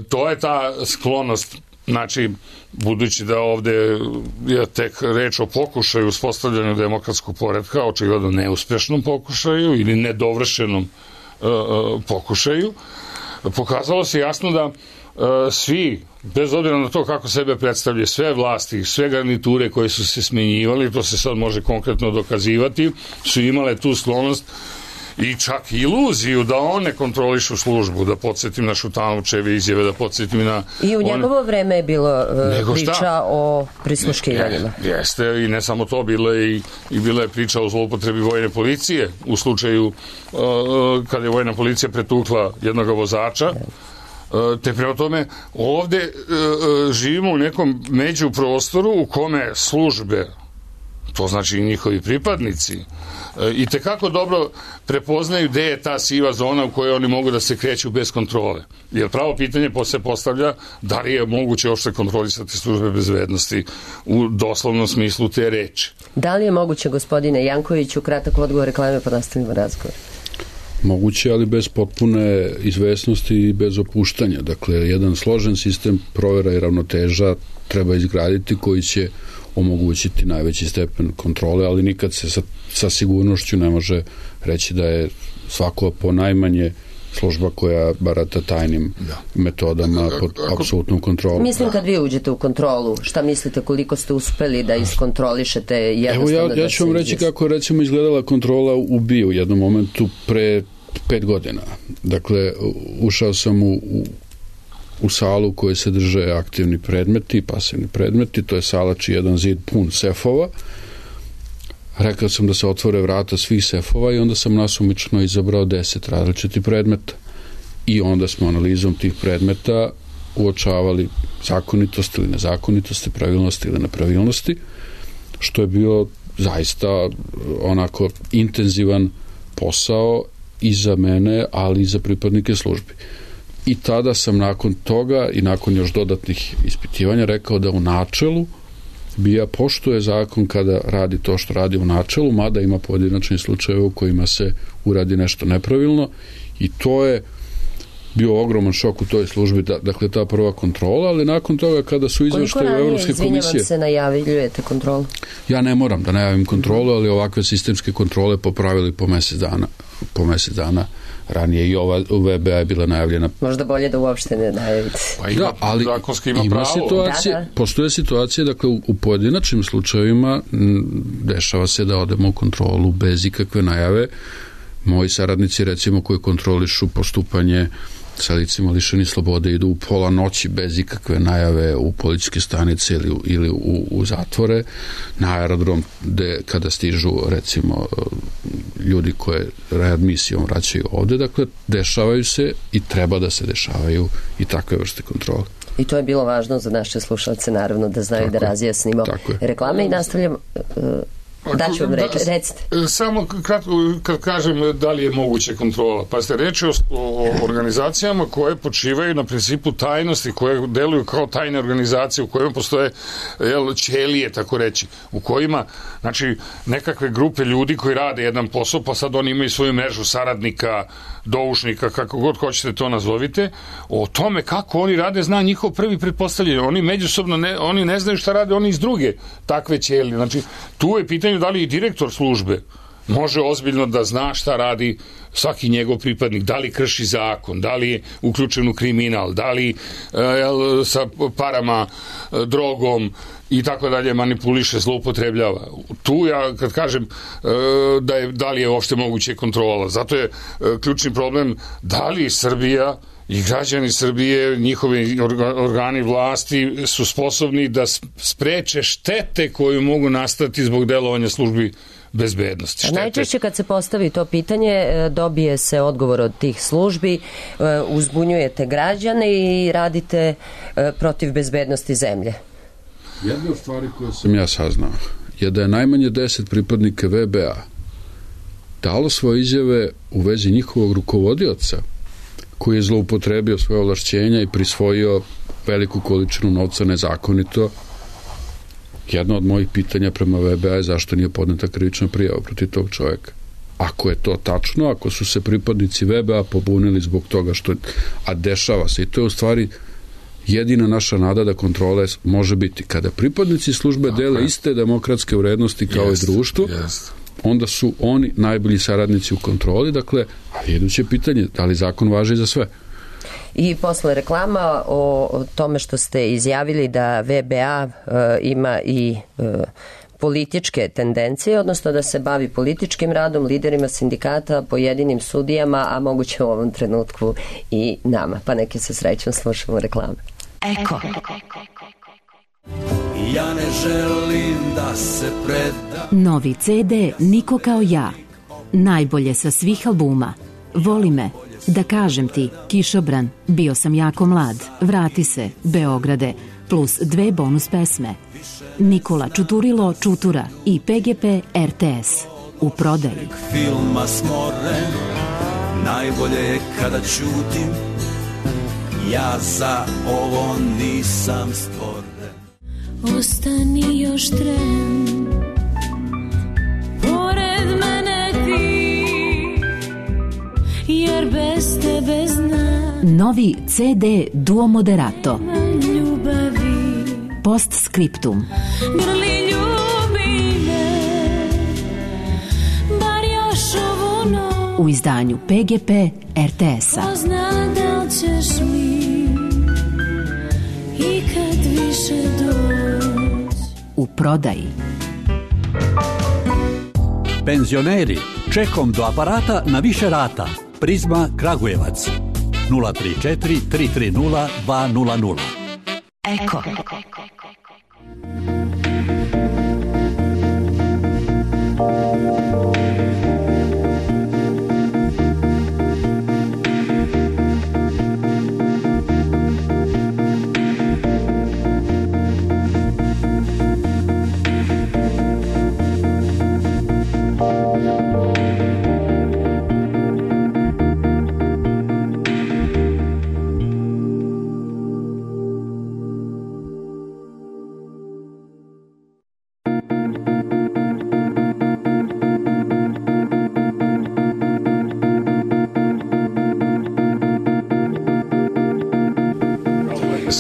to je ta sklonost, znači, budući da ovde je tek reč o pokušaju uspostavljanju demokratskog poretka, očigledno neuspešnom pokušaju ili nedovršenom pokušaju, pokazalo se jasno da svi, bez obzira na to kako sebe predstavlja, sve vlasti, sve garniture koje su se smenjivali, to se sad može konkretno dokazivati, su imale tu sklonost i čak iluziju da one kontrolišu službu, da podsjetim na Šutanovčeve izjave, da podsjetim na... I u njegovo one... vreme je bilo uh, priča šta? o prisluškivanjima. Je, jeste, i ne samo to, bilo je i, i bila je priča o zloupotrebi vojne policije u slučaju uh, kada je vojna policija pretukla jednog vozača. Uh, te prema tome, ovde uh, živimo u nekom međuprostoru u kome službe, to znači i njihovi pripadnici, i tekako dobro prepoznaju gde je ta siva zona u kojoj oni mogu da se kreću bez kontrole. Jer pravo pitanje se postavlja da li je moguće uopšte kontrolisati službe bezbednosti u doslovnom smislu te reči. Da li je moguće, gospodine Jankoviću, kratak odgovor, reklame pa nastavimo razgovor? Moguće, ali bez potpune izvesnosti i bez opuštanja. Dakle, jedan složen sistem provera i ravnoteža treba izgraditi koji će omogućiti najveći stepen kontrole, ali nikad se sa, sa sigurnošću ne može reći da je svako po najmanje služba koja barata tajnim da. metodama pod apsolutnom kontrolom. Mislim kad vi uđete u kontrolu, šta mislite koliko ste uspeli da iskontrolišete jednostavno? Evo ja, ja ću vam reći kako recimo izgledala kontrola u B I U u jednom momentu pre pet godina. Dakle, ušao sam u, u, u salu u kojoj se drže aktivni predmeti, pasivni predmeti, to je sala čiji jedan zid pun sefova. Rekao sam da se otvore vrata svih sefova i onda sam nasumično izabrao deset različitih predmeta. I onda smo analizom tih predmeta uočavali zakonitosti ili nezakonitosti, pravilnosti ili nepravilnosti, što je bio zaista onako intenzivan posao i za mene, ali i za pripadnike službi. I tada sam nakon toga i nakon još dodatnih ispitivanja rekao da u načelu B I A poštuje zakon kada radi to što radi u načelu, mada ima pojedinačni slučaje u kojima se uradi nešto nepravilno i to je bio ogroman šok u toj službi, da, dakle ta prva kontrola, ali nakon toga kada su izveštaje Evropske komisije... Koliko ranije, se najavljujete kontrolu? Ja ne moram da najavim kontrolu, ali ovakve sistemske kontrole popravili po mesec dana, po mesec dana ranije i ova u V B A je bila najavljena. Možda bolje da uopšte ne najavite. Pa ima, da, ali zakonski ima, ima pravo. situacije, da, da. postoje situacije, dakle u, u pojedinačnim slučajevima m, dešava se da odemo u kontrolu bez ikakve najave. Moji saradnici recimo koji kontrolišu postupanje sa licima lišeni slobode idu u pola noći bez ikakve najave u policijske stanice ili, ili u, u zatvore na aerodrom gde kada stižu recimo ljudi koje readmisijom vraćaju ovde, dakle dešavaju se i treba da se dešavaju i takve vrste kontrole. I to je bilo važno za naše slušalce naravno da znaju tako da razjasnimo reklame i nastavljamo uh, da ću vam reći, recite. Samo kratko, kad kažem da li je moguće kontrola, pa ste reći o, o organizacijama koje počivaju na principu tajnosti, koje deluju kao tajne organizacije, u kojima postoje jel, ćelije, tako reći, u kojima, znači, nekakve grupe ljudi koji rade jedan posao, pa sad oni imaju svoju mrežu saradnika, doušnika, kako god hoćete to nazovite, o tome kako oni rade zna njihov prvi pretpostavljanje. Oni međusobno ne, oni ne znaju šta rade oni iz druge takve ćelije. Znači, tu je pitanje da li i direktor službe može ozbiljno da zna šta radi svaki njegov pripadnik, da li krši zakon, da li je uključen u kriminal, da li jel, sa parama, drogom i tako dalje manipuliše, zloupotrebljava. Tu ja kad kažem da, je, da li je uopšte moguće kontrola, zato je ključni problem da li Srbija i građani Srbije, njihovi organi vlasti su sposobni da spreče štete koju mogu nastati zbog delovanja službi bezbednosti. Štete. Najčešće kad se postavi to pitanje, dobije se odgovor od tih službi, uzbunjujete građane i radite protiv bezbednosti zemlje. Jedna od stvari koje sam ja saznao je da je najmanje deset pripadnika V B A dalo svoje izjave u vezi njihovog rukovodioca koji je zloupotrebio svoje ovlašćenja i prisvojio veliku količinu novca nezakonito. Jedno od mojih pitanja prema V B A je zašto nije podneta krivična prijava protiv tog čovjeka. Ako je to tačno, ako su se pripadnici V B A pobunili zbog toga što... A dešava se i to je u stvari jedina naša nada da kontrole može biti. Kada pripadnici službe okay. dele iste demokratske vrednosti kao yes, i društvo, yes. onda su oni najbolji saradnici u kontroli, dakle, ali iduće pitanje, da li zakon važi za sve? I posle reklama o, o tome što ste izjavili da V B A e, ima i e, političke tendencije, odnosno da se bavi političkim radom, liderima sindikata, pojedinim sudijama, a moguće u ovom trenutku i nama. Pa neke se srećom slušamo reklame. Eko. Ja ne želim da se predam. Novi C D Niko kao ja. Najbolje sa svih albuma. Voli me. Da kažem ti, Kišobran, bio sam jako mlad, vrati se, Beograde, plus dve bonus pesme. Nikola Čuturilo Čutura i P G P R T S. U prodaji. Filma smoren, najbolje je kada ćutim, ja za ovo nisam stvoren. Ostani još tren, pored mene ti, jer bez tebe znam. Novi C D Duo Moderato. Ljubavi. Postscriptum. Grli ono u izdanju P G P R T S-a. ko zna da li ćeš mi ikad više doći. U prodaji. Penzioneri, čekom do aparata na više rata. Prizma Kragujevac. nula tri četiri tri tri nula dva nula nula. Eko.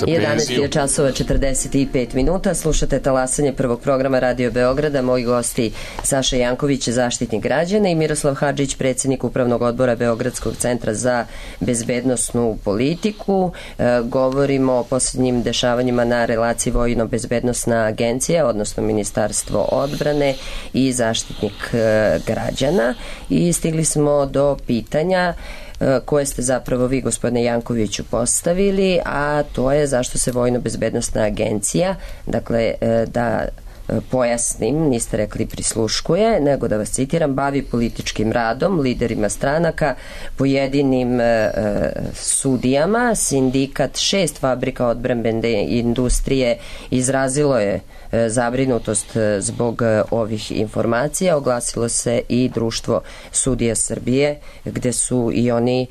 jedanaest je časova četrdeset pet minuta, slušate talasanje prvog programa Radio Beograda. Moji gosti Saša Janković, zaštitnik građana, i Miroslav Hadžić, predsjednik Upravnog odbora Beogradskog centra za bezbednosnu politiku. E, govorimo o posljednjim dešavanjima na relaciji Vojno-bezbednosna agencija, odnosno Ministarstvo odbrane i zaštitnik e, građana, i stigli smo do pitanja koje ste zapravo vi, gospodine Jankoviću, postavili, a to je zašto se Vojno-bezbednosna agencija, dakle da pojasnim, niste rekli prisluškuje, nego da vas citiram, bavi političkim radom, liderima stranaka, pojedinim e, sudijama. Sindikat šest fabrika odbrambene industrije izrazilo je e, zabrinutost zbog e, ovih informacija. Oglasilo se i Društvo sudija Srbije, gde su i oni e,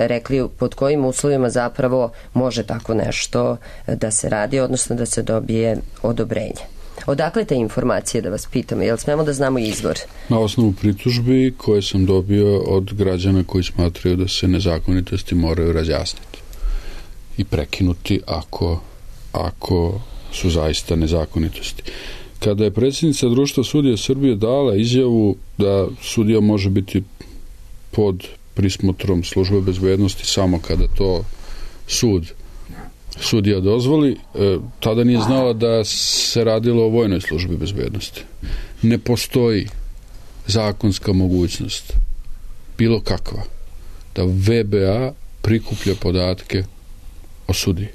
rekli pod kojim uslovima zapravo može tako nešto da se radi, odnosno da se dobije odobrenje. Odakle te informacije, da vas pitam, jel smemo da znamo izvor? Na osnovu pritužbi koje sam dobio od građana koji smatraju da se nezakonitosti moraju razjasniti i prekinuti ako, ako su zaista nezakonitosti. Kada je predsjednica Društva sudija Srbije dala izjavu da sudija može biti pod prismotrom službe bezbednosti samo kada to sud sudija dozvoli, e, tada nije znala da se radilo o vojnoj službi bezbednosti. Ne postoji zakonska mogućnost, bilo kakva, da V B A prikuplja podatke o sudiji.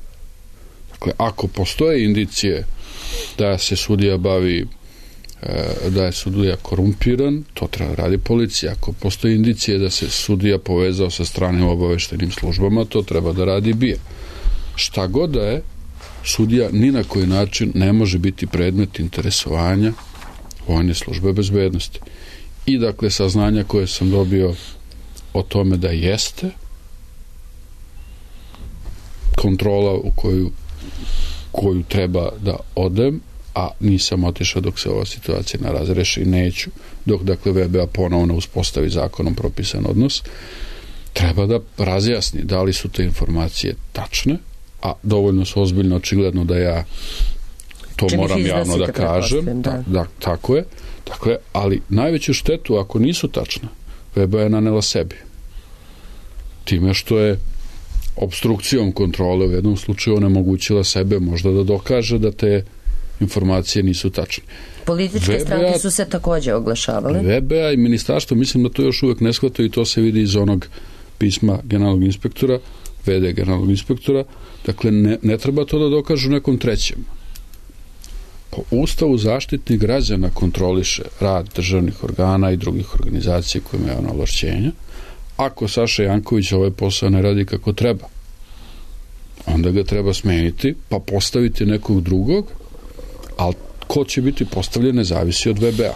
Dakle, ako postoje indicije da se sudija bavi, e, da je sudija korumpiran, to treba radi policija. Ako postoje indicije da se sudija povezao sa stranim obaveštenim službama, to treba da radi B I A. Šta god da je, sudija ni na koji način ne može biti predmet interesovanja vojne službe bezbednosti. I dakle, saznanja koje sam dobio o tome da jeste kontrola u koju, koju treba da odem, a nisam otišao dok se ova situacija ne razreši i neću, dok dakle V B A ponovno uspostavi zakonom propisan odnos, treba da razjasni da li su te informacije tačne, a dovoljno su ozbiljno, očigledno da ja to Čim moram javno da kažem. Da. Da, da, tako je. Dakle, ali najveću štetu, ako nisu tačne, V B A je nanela sebi. Time što je obstrukcijom kontrole u jednom slučaju onemogućila sebe možda da dokaže da te informacije nisu tačne. Političke V B A, stranke su se takođe oglašavale. V B A i ministarstvo, mislim da to još uvek ne shvataju i to se vidi iz onog pisma generalnog inspektora, V D generalnog inspektora. Dakle, ne, ne treba to da dokažu nekom trećem. Po Ustavu zaštitnik građana kontroliše rad državnih organa i drugih organizacija koje imaju javna ovlašćenja. Ako Saša Janković ovaj posao ne radi kako treba, onda ga treba smeniti, pa postaviti nekog drugog, ali ko će biti postavljen ne zavisi od V B A.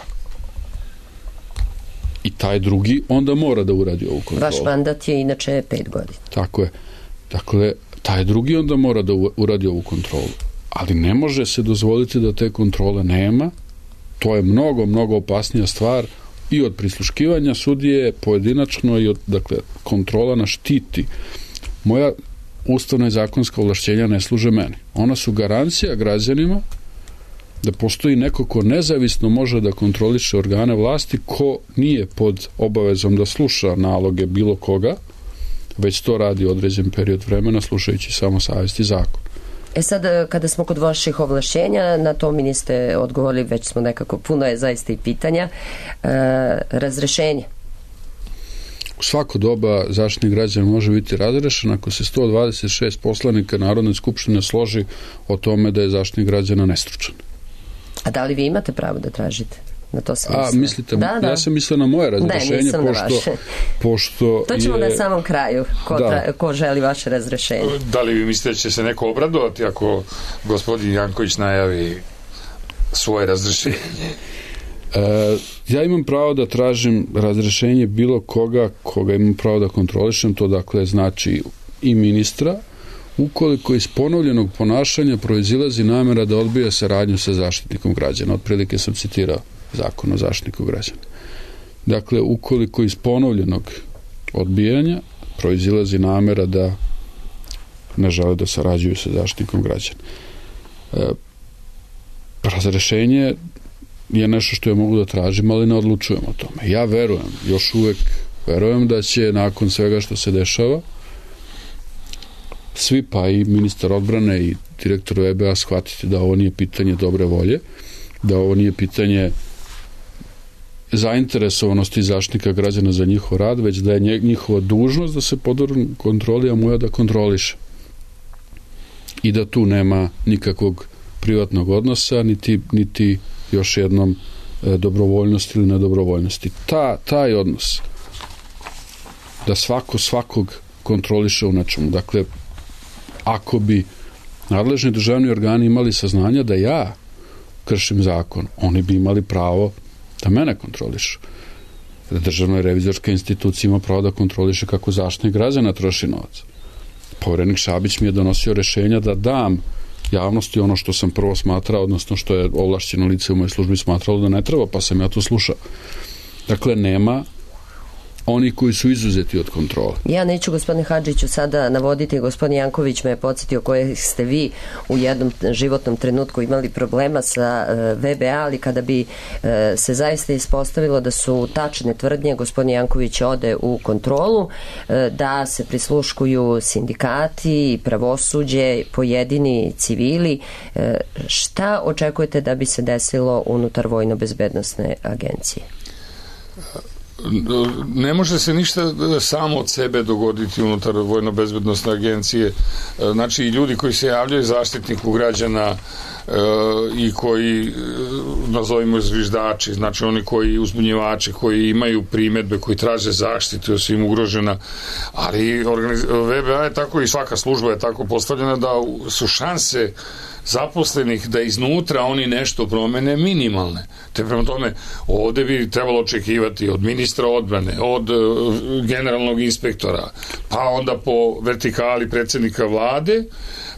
I taj drugi onda mora da uradi ovu kontrolu. Vaš mandat je inače pet godina. Tako je. Dakle, taj drugi onda mora da uradi ovu kontrolu. Ali ne može se dozvoliti da te kontrole nema. To je mnogo, mnogo opasnija stvar i od prisluškivanja sudije pojedinačno i od, dakle, kontrola na štiti. Moja ustavna i zakonska ovlašćenja ne služe meni. Ona su garancija građanima da postoji neko ko nezavisno može da kontroliše organe vlasti, ko nije pod obavezom da sluša naloge bilo koga, već to radi određen period vremena slušajući samo savjest i zakon. E sad, kada smo kod vaših ovlašćenja, na to mi niste odgovorili, već smo nekako, puno je zaista i pitanja. E, razrešenje. U svako doba Zaštitnik građana može biti razrešen ako se sto dvadeset šest poslanika Narodne skupštine složi o tome da je Zaštitnik građana nestručan. A da li vi imate pravo da tražite? Na to sam A, mislila. mislite, da, da. Ja sam mislila na moje razrešenje, ne, pošto, pošto to ćemo je... na samom kraju, ko, tra, ko želi vaše razrešenje. Da li vi mislite da će se neko obradovati ako gospodin Janković najavi svoje razrešenje? E, ja imam pravo da tražim razrešenje bilo koga koga imam pravo da kontrolišem, to dakle znači i ministra, ukoliko iz ponovljenog ponašanja proizilazi namera da odbija saradnju sa Zaštitnikom građana. Otprilike sam citirao Zakon o Zaštitniku građana. Dakle, ukoliko iz ponovljenog odbijanja proizilazi namera da ne žele da sarađuju sa Zaštitnikom građana. E, razrešenje je nešto što ja mogu da tražim, ali ne odlučujem o tome. Ja verujem, još uvek verujem da će nakon svega što se dešava svi, pa i ministar odbrane i direktor V B A shvatiti da ovo nije pitanje dobre volje, da ovo nije pitanje zainteresovanosti Zaštitnika građana za njihov rad, već da je njihova dužnost da se podvrgne kontroli, a moja da kontroliše. I da tu nema nikakvog privatnog odnosa, niti, niti još jednom e, dobrovoljnosti ili nedobrovoljnosti. Ta, taj odnos da svako svakog kontroliše u nečemu. Dakle, ako bi nadležni državni organi imali saznanja da ja kršim zakon, oni bi imali pravo da mene kontrolišu. Državna revizorska institucija ima pravo da kontroliše kako Zaštitnik građana troši novac. Poverenik Šabić mi je donosio rešenja da dam javnosti ono što sam prvo smatrao, odnosno što je ovlašćeno lice u mojoj službi smatralo da ne treba, pa sam ja to slušao. Dakle, nema oni koji su izuzeti od kontrole. Ja neću, gospodine Hadžiću, sada navoditi, gospodin Janković me je podsjetio koje ste vi u jednom životnom trenutku imali problema sa V B A, ali kada bi se zaista ispostavilo da su tačne tvrdnje, gospodin Janković ode u kontrolu, da se prisluškuju sindikati, pravosuđe, pojedini civili. Šta očekujete da bi se desilo unutar Vojno-bezbednosne agencije? Ne može se ništa samo od sebe dogoditi unutar Vojno-bezbednosne agencije. Znači, ljudi koji se javljaju Zaštitniku građana e, i koji, e, nazovimo zviždači, znači oni koji uzbunjivači, koji imaju primedbe, koji traže zaštitu, su im ugrožena, ali organiz... V B A je tako i svaka služba je tako postavljena da su šanse zaposlenih da iznutra oni nešto promene minimalne. Te prema tome, ovde bi trebalo očekivati od ministra odbrane, od uh, generalnog inspektora, pa onda po vertikali predsjednika vlade,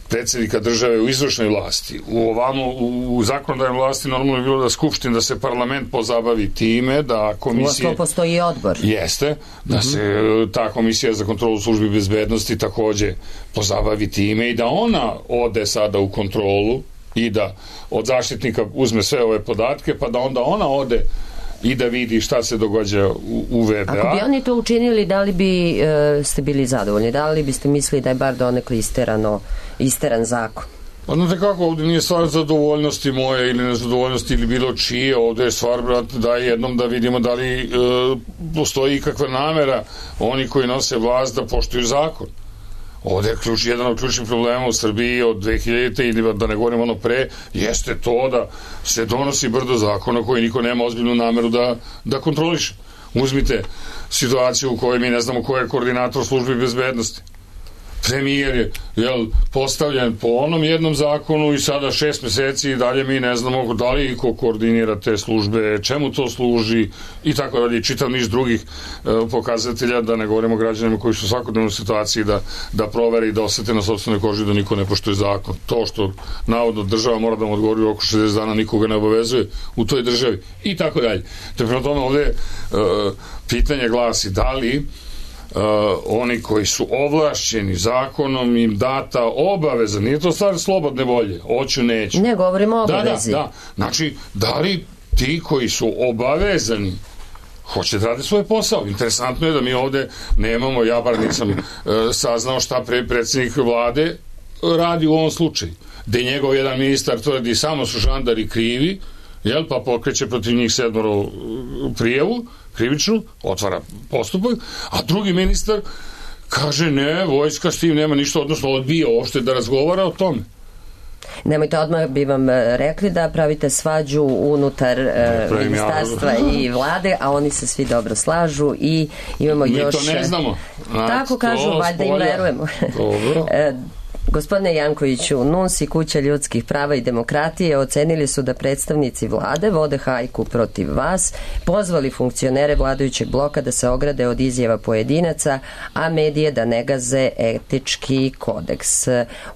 predsjednika države u izvršnoj vlasti. U ovamo, u, u zakonodavnoj vlasti normalno je bilo da skupština, da se parlament pozabavi time, da komisije... U postoji odbor. Jeste, da mm-hmm. se ta komisija za kontrolu službi bezbednosti takođe pozabavi time i da ona ode sada u kontrolu i da od zaštitnika uzme sve ove podatke, pa da onda ona ode i da vidi šta se događa u, u V B A. Ako bi oni to učinili, da li bi e, ste bili zadovoljni? Da li biste mislili da je bar donekle isterano, isteran zakon? Pa znate kako, ovdje nije stvar zadovoljnosti moje ili nezadovoljnosti ili bilo čije, ovdje je stvar, brate, da jednom da vidimo da li e, postoji ikakva namera oni koji nose vlast da poštuju zakon. Ovdje je ključ, jedan od ključnih problema u Srbiji od dve hiljadite ili da ne govorim ono pre, jeste to da se donosi brdo zakona koji niko nema ozbiljnu nameru da, da kontroliše. Uzmite situaciju u kojoj mi ne znamo ko je koordinator službi bezbednosti. Premijer je jel, postavljen po onom jednom zakonu i sada šest meseci i dalje mi ne znamo da li ko koordinira te službe, čemu to služi i tako dalje. Čitav niz drugih e, pokazatelja, da ne govorimo o građanima koji su u svakodnevnoj situaciji da, da provere i da osete na sopstvenoj koži da niko ne poštuje zakon. To što navodno država mora da mu odgovori u oko šezdeset dana, nikoga ne obavezuje u toj državi i tako dalje. Te prema tome ovdje e, pitanje glasi da li oni koji su ovlašćeni zakonom im data obaveza, nije to stvar slobodne volje, hoću, neću. Ne, govorimo o obavezi. Da, da, da. Znači, da li ti koji su obavezani hoće da rade svoj posao? Interesantno je da mi ovde nemamo, ja bar nisam e, saznao šta pre, predsjednik vlade radi u ovom slučaju. Gde njegov jedan ministar tvrdi samo su žandari krivi, jel, pa pokreće protiv njih sedmoro prijavu, krivičnu, otvara postupak, a drugi ministar kaže ne, vojska s tim nema ništa, odnosno odbija uopšte da razgovara o tome. Nemojte, odmah bi vam rekli da pravite svađu unutar e, ministarstva ja. i vlade, a oni se svi dobro slažu i imamo mi još... Mi to ne znamo. A, tako kažu, valjda im verujemo. Dobro. e, Gospodine Jankoviću, N U N S i Kuća ljudskih prava i demokratije ocenili su da predstavnici vlade vode hajku protiv vas, pozvali funkcionere vladajućeg bloka da se ograde od izjava pojedinaca, a medije da ne gaze etički kodeks.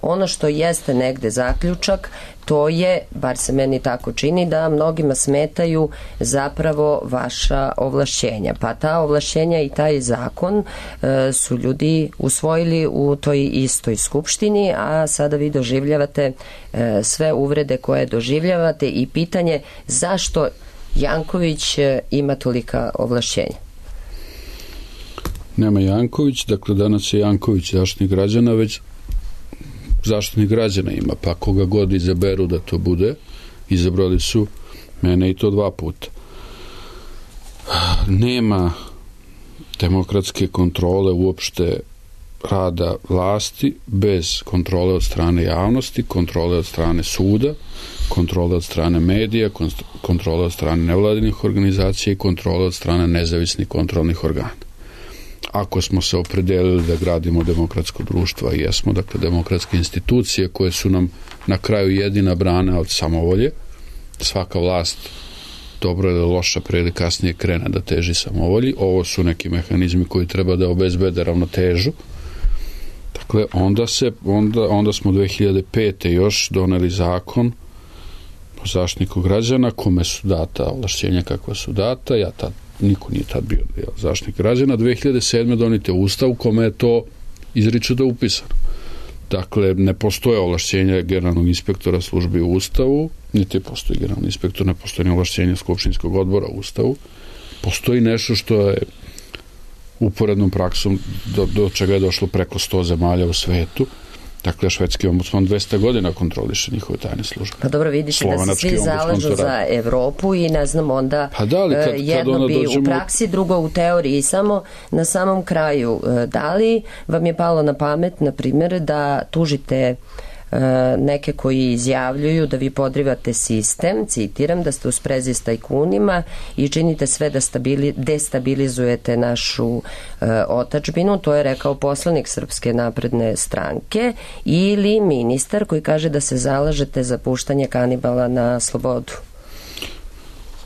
Ono što jeste negde zaključak, to je, bar se meni tako čini, da mnogima smetaju zapravo vaša ovlašćenja. Pa ta ovlašćenja i taj zakon e, su ljudi usvojili u toj istoj skupštini, a sada vi doživljavate e, sve uvrede koje doživljavate i pitanje zašto Janković e, ima tolika ovlašćenja. Nema Janković, dakle danas je Janković zaštitnik građana, već zaštitnik građana ima, pa koga god izaberu da to bude, izabrali su mene i to dva puta. Nema demokratske kontrole uopšte rada vlasti bez kontrole od strane javnosti, kontrole od strane suda, kontrole od strane medija, kontrole od strane nevladinih organizacija i kontrole od strane nezavisnih kontrolnih organa. Ako smo se opredelili da gradimo demokratsko društvo, a jesmo, dakle demokratske institucije koje su nam na kraju jedina brana od samovolje, svaka vlast dobro ili loša pre ili kasnije krene da teži samovolji, ovo su neki mehanizmi koji treba da obezbede ravnotežu. Dakle, onda, se, onda, onda smo dve hiljade pete. još doneli zakon o zaštitniku građana kome su data ovlašćenja kakva su data, ja tad niko nije tad bio zaštitnik građana. dve hiljade sedme donite ustav u kome je to izričito upisano. Dakle, ne postoje ovlašćenja generalnog inspektora službi u ustavu, niti postoji generalni inspektor, ne postoji ovlašćenja skupštinskog odbora u ustavu. Postoji nešto što je uporednom praksom do, do čega je došlo preko sto zemalja u svetu. Dakle, švedski ombudsman dvesta godina kontroliše njihove tajne službe. Pa dobro, vidite da se svi zalažu za Evropu i ne znam onda pa da li, kad, jedno kad bi dođemo... u praksi, drugo u teoriji. Samo na samom kraju, da li vam je palo na pamet, na primjer, da tužite neke koji izjavljuju da vi podrivate sistem, citiram, da ste u sprezi s tajkunima i činite sve da stabili, destabilizujete našu e, otadžbinu, to je rekao poslanik Srpske napredne stranke, ili ministar koji kaže da se zalažete za puštanje kanibala na slobodu.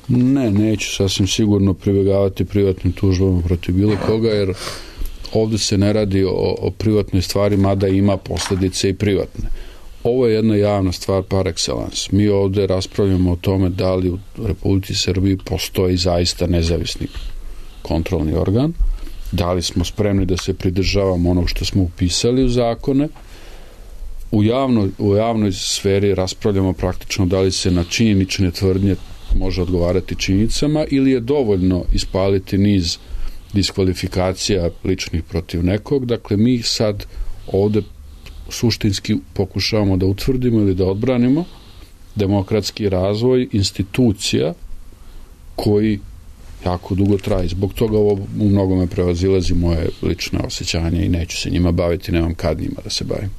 Ne, neću sasvim sigurno pribegavati privatnim tužbama protiv bilo koga, jer ovde se ne radi o, o privatnoj stvari, mada ima posledice i privatne. Ovo je jedna javna stvar par excellence. Mi ovde raspravljamo o tome da li u Republici Srbiji postoji zaista nezavisni kontrolni organ, da li smo spremni da se pridržavamo onog što smo upisali u zakone. U javnoj, u javnoj sferi raspravljamo praktično da li se na činjenične tvrdnje može odgovarati činjenicama ili je dovoljno ispaliti niz diskvalifikacija ličnih protiv nekog. Dakle, mi sad ovde suštinski pokušavamo da utvrdimo ili da odbranimo demokratski razvoj institucija koji jako dugo traje. Zbog toga ovo u mnogome prevazilazi moje lične osjećanje i neću se njima baviti, nemam kad njima da se bavim.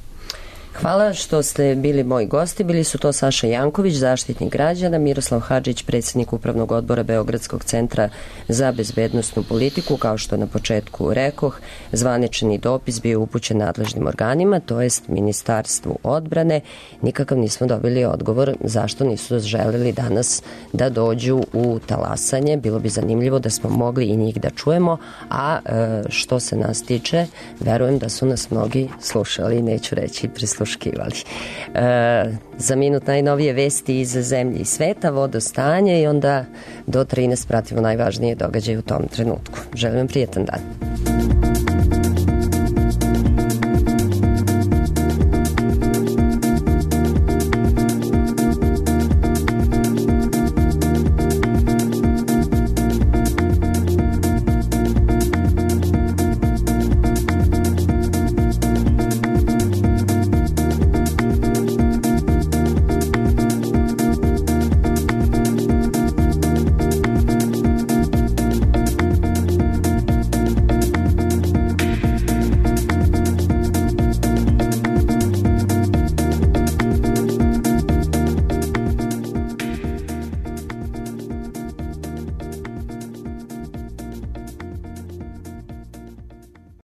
Hvala što ste bili moji gosti. Bili su to Saša Janković, zaštitnik građana, Miroslav Hadžić, predsjednik Upravnog odbora Beogradskog centra za bezbednosnu politiku. Kao što na početku rekoh, zvanični dopis bio upućen nadležnim organima, to jest Ministarstvu odbrane. Nikakav nismo dobili odgovor zašto nisu želeli danas da dođu u talasanje. Bilo bi zanimljivo da smo mogli i njih da čujemo, a što se nas tiče, verujem da su nas mnogi slušali, neću reći prislušali. E, za minut najnovije vesti iz zemlje i sveta, vodostanje i onda do trinaest pratimo najvažnije događaje u tom trenutku. Želim vam prijetan dan.